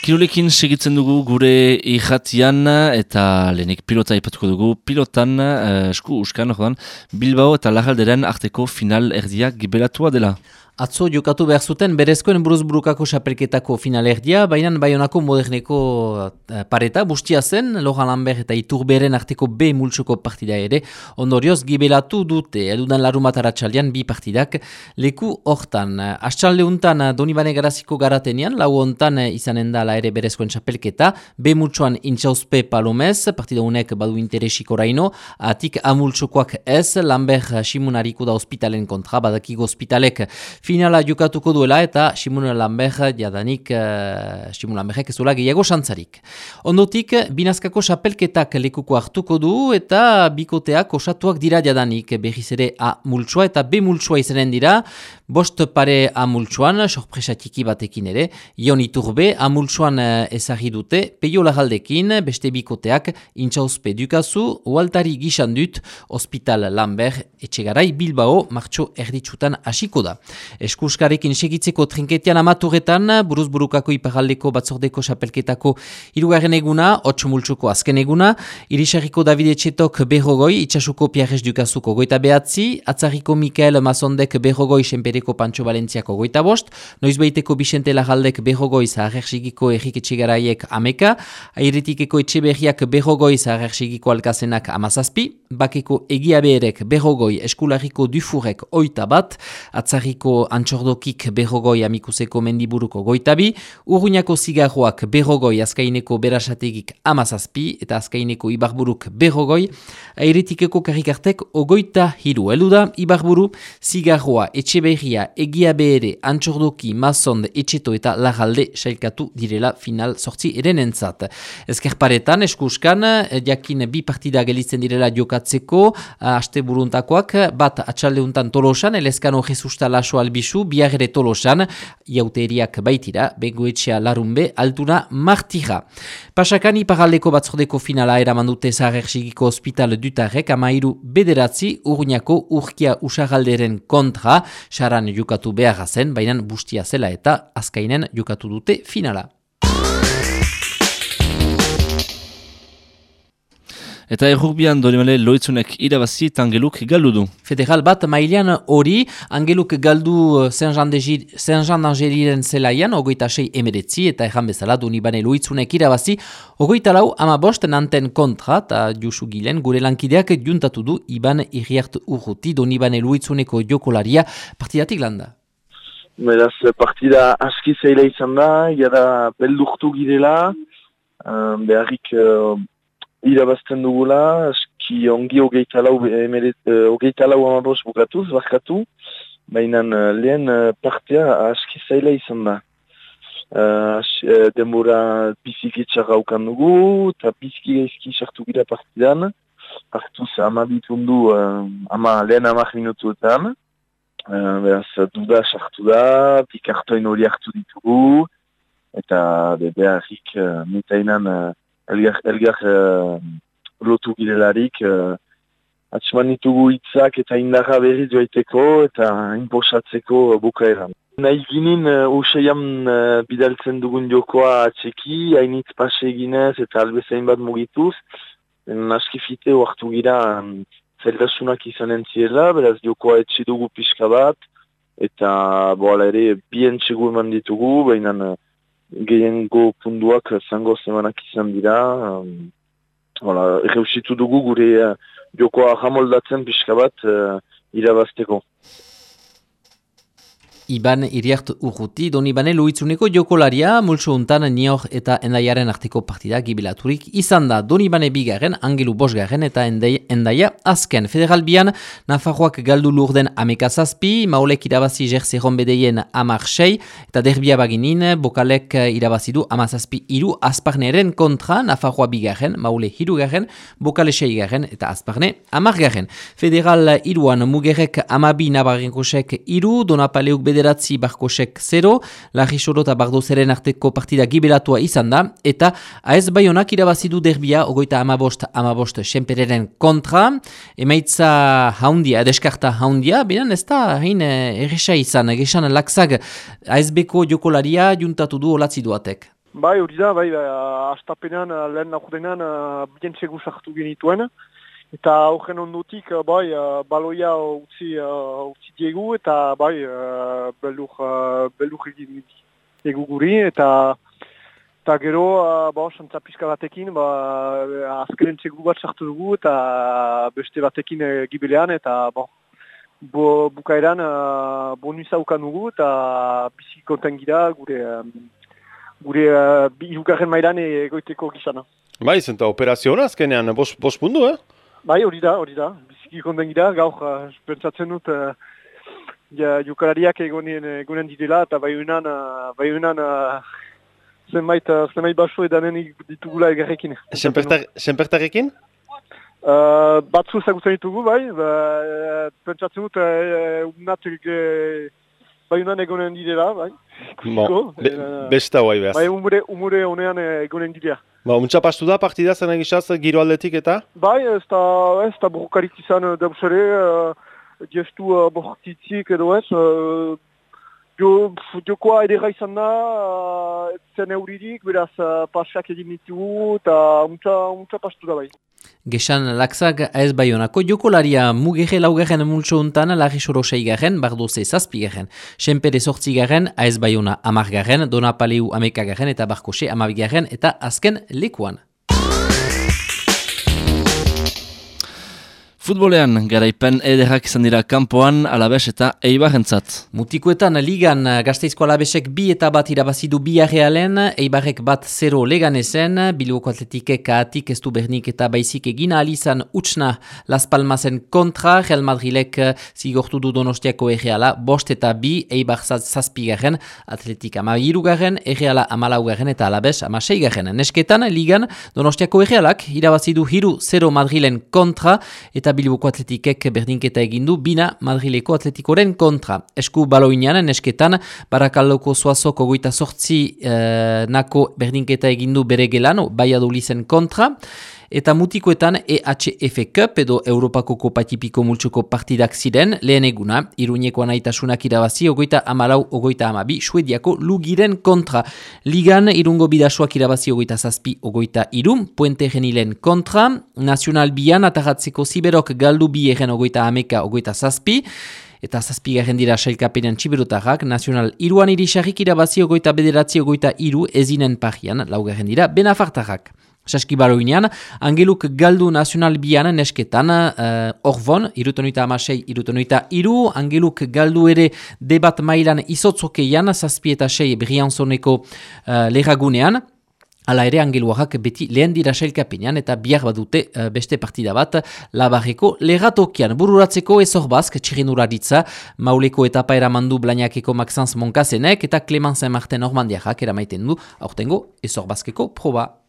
Kirolekin segitzen dugu gure irratian eta lehenik pilota ipatuko dugu. Pilotan, esku uskan, Bilbao eta Larralderen arteko final erdiak gibelatua dela. Atzo jokatu behar zuten berezkoen buruzburukako xapelketako finalerdia, baina Baionako moderneko pareta bustia zen, Laurent Lambert eta Iturberen arteko B multsoko partida ere, ondorioz gibelatu dute, edudan larumat aratsaldean bi partidak leku hortan. Astsalde untan Donibane Garaziko garatenean, lau hontan izanen da la ere berezkoen xapelketa, B multsoan Intxauzpe Palomez, partida unek badu interesik oraino, atik A multsokoak ez, Lambert Simunariko da hospitalen kontra, badakigo hospitalek finala jokatuko duela eta Simon Lambert jadanik Simon Lambertek ez duela gehiago xantzarik. Ondotik, binazkako xapelketak lekuko hartuko du eta bikoteak osatuak dira jadanik. Berriz ere A multsoa eta B multsoa izanen dira. Bost pare A multsoan, sorpresa txiki batekin ere. Ion Iturbe A multsoan ezagri dute. Peio Larraldekin, beste bikoteak Intxauzpe Dukazu, Ualtari Gixan dut, Hospital Lambert, Etxegarai Bilbao, martxo erditsutan hasiko da. Eskuskarekin segitzeko trinketian amaturetan, buruzburukako iparaldeko batzordeko xapelketako hirugarren eguna, 8 multsoko azken eguna, Irisarriko David Etxetok berrogoi, Itxasuko Pierres Dukazuko goita behatzi, Atzarriko Mikael Mazondek berrogoi, Senpereko Pantxo Valentziako goita bost, Noizbeiteko Bixente Larraldek berrogoi, Zaharrersigiko Errik Etxegaraiek ameka, Airetikeko Etxeberriak berrogoi, Zaharrersigiko Alkazenak amazazpi, Bakeko Egiabeerek berrogoi, Eskularriko Dufurek oita bat, Atzarriko Antxordokik berrogoi Amikuseko Mendiburuko goitabi, Urruñako Zigarroak berrogoi Azkaineko Berasategik amazazpi eta Azkaineko Ibarburuk berrogoi, Airetikeko Karikartek ogoita hiru. Eluda Ibarburu, Zigarroa, Etxeberria, Egiabere, Antxordoki, Mazond, Etxeto eta Larralde sailkatu direla final sortzi erenentzat. Ezkerparetan, eskuskan, jakin bi partida gelitzen direla jokatzeko, aste buruntakoak, bat atxaldeuntan Tolosan, Elezkano Jesusta Laso Albizu, biar ere Tolosan, jauteriak baitira, Bengoetxea Larunbe, Altuna Martira. Pasakani paraldeko batzordeko finala eraman dute Zaharrersigiko Hospital Dutarrek, amairu bederatzi, Urruñako Urkia Usaralderen kontra, saran jokatu beharra zen, baina bustia zela eta azkainen jokatu dute finala. Eta errugbian Donibane Loitzunek irabazi eta Angeluk galdu du. Federal bat mailean hori, Angeluk galdu Saint-Jean-d'Angeliren zelaian, 26 eta erran bezala Donibane Loitzunek irabazi, 24 amabost Nanten kontra, eta Josu Gilen gure lankideak juntatu du Iban Iriart Urruti Donibane Loitzuneko jokolaria partidatik landa. Beraz, partida aski zaila izan da, jada beldurtu girela, beharrik irabazten dugula, eski ongi hogeita lau amabos bukatuz, barkatu, baina lehen partea aski zaila izan da. Denbora biziki txarra ukan dugu, eta biziki gaizki sartu gira partidan, hartuz amabitundu lehen 10 minutuetan, beraz duda sartu da, pikartoin hori hartu ditugu, eta beharrik mitainan elgar lotu girelarik, atxeman ditugu hitzak eta indarra berriz joaiteko eta inposatzeko bukaeran. Nahi ginen useian bidaltzen dugun jokoa atxeki, hainitz pase eginez eta albezain bat mugituz, askifite hartu gira zailtasunak izanen zirela, beraz jokoa etxe dugu pixka bat, eta boala ere bien txegu eman ditugu, baina gehiengo punduak zango zemanak izan dira. Erreusitu dugu gure jokoa jamoldatzen pixka bat irabazteko. Iban Iriart Urruti, Donibane Loitzuneko jokolaria, multso untan Nior eta Endaiaren arteko partida gibilaturik izan da. Donibane bigarren, Angelu bosgarren eta Endaia azken. Federalbian, Nafarroak galdu lurden amekazazpi, Maolek irabazi Jerzerron bedeien 10 eta derbia baginin, Bokalek irabazidu 17 Azparneren kontra, Nafarroa bigarren, Maule hirugarren, Bokale 6 eta Azparne 10. Federal iruan Mugerek 12 Nabarrenkosek 3, Donapaleuk bederatzi Barkosek 0, Larrisoro eta Bardozeren arteko partida gibelatua izan da, eta AS Baionak irabazidu derbia 35 Senpereren kontra, emaitza haundia, deskarta haundia, benen ez da hain erresa izan, gesan lakzag ASB-ko jokolaria juntatu du olatzi duatek. Bai, hori da, bai, astapenean, lehen laurdenean, bien segu sartu genituen. Eta horren ondotik, bai, baloia utzi diegu, eta bai, beldur egin diegu guri, eta gero, santza pizka batekin, azkenen segu bat sartu dugu, eta beste batekin gibelean, eta bukaeran bonusa ukan dugu, eta bizi konten gira gure irugarren mailan egoiteko gizana. Bai, zenta operazio hona azkenean, bost pundu, Bai, hori da. Biziki konten gira, gaur pentsatzen dut jokalariak egonen direla, eta baiunan zenbait baso edanen ditugula egarrekin. Senpertarekin? Batzu ezagutzen ditugu, bai, pentsatzen dut baiunan egonen direla, bai. Besta guai behaz. Bai, umure honean egonen direla. Untxa pastu da partida zen egizaz giro aldetik eta? Bai, ez da borrokarik izan dauzere, gestu bortitzik edo ez. Jokoa edera izan da, zen euririk, beraz pasak egin ditugu eta untxa pastu da bai. Gexan Laxak AS Baionako jokolaria mugere laugarren multso untan Larri Soro 6garren, Bardoze 7garren, Senpere 8garren, AS Baiona 10garren, Donapaleu 11garren eta Barkose 12garren eta azken lekuan. Futbolean, garaipen ederrak izan dira kanpoan, Alabes eta Eibarrentzat. Mutikoetan ligan Gasteizko Alabesek 2 eta 1 irabazidu Biarrealen, Eibarrek 1-0 Leganezen, Bilboko Atletikek ahatik ez du bernik eta baizik egin alizan utsna Las Palmasen kontra, Real Madrilek zigortu du Donostiako Erreala, 5 eta 2, Eibar 7garren, Atletik 13garren, Erreala 14garren eta Alabes 16garren. Nesketan ligan Donostiako Errealak irabazidu 3-0 Madrilen kontra eta Bilboko Atletikek berdinketa egindu bina Madrileko Atletikoren kontra. Esku baloinean nesketan Barakaldoko Zuazok 28 nako berdinketa egindu bere gelan Baiadulizen kontra. Eta mutikoetan EHF Cup edo Europako Kopatipiko multsuko partidak ziren, lehen eguna, Iruñeko anaitasunak irabazi, 24-12, Suediako Lugiren kontra. Ligan, Irungo Bidasoak irabazi 27-23, Puente Genilen kontra, Nacional Bian, ataratzeko Ziberok galdu bi egen 30-27, eta 7garren dira sailkapenean txiberotarrak, Nacional Iruan irisarrik irabazi 29-23 ezinen parian, 4garren dira Benafartarrak. Saskibaloinean, Angeluk galdu Nacional Bian nesketan, Orvon, 76-23, Angeluk galdu ere debat mailan izotzokeian, 7 eta 6 Brianzoneko leragunean. Hala ere, Angeluarrak beti lehen dira sailkapenean eta bihar badute beste partida bat Labarreko leratokian. Bururatzeko Ezorbazk, txirrendularitza, Mauleko etapa eramandu Blañakeko Maxence Monkasenek eta Clemencein Martin Normandiarrak eramaiten du aurtengo Ezorbazkeko proba.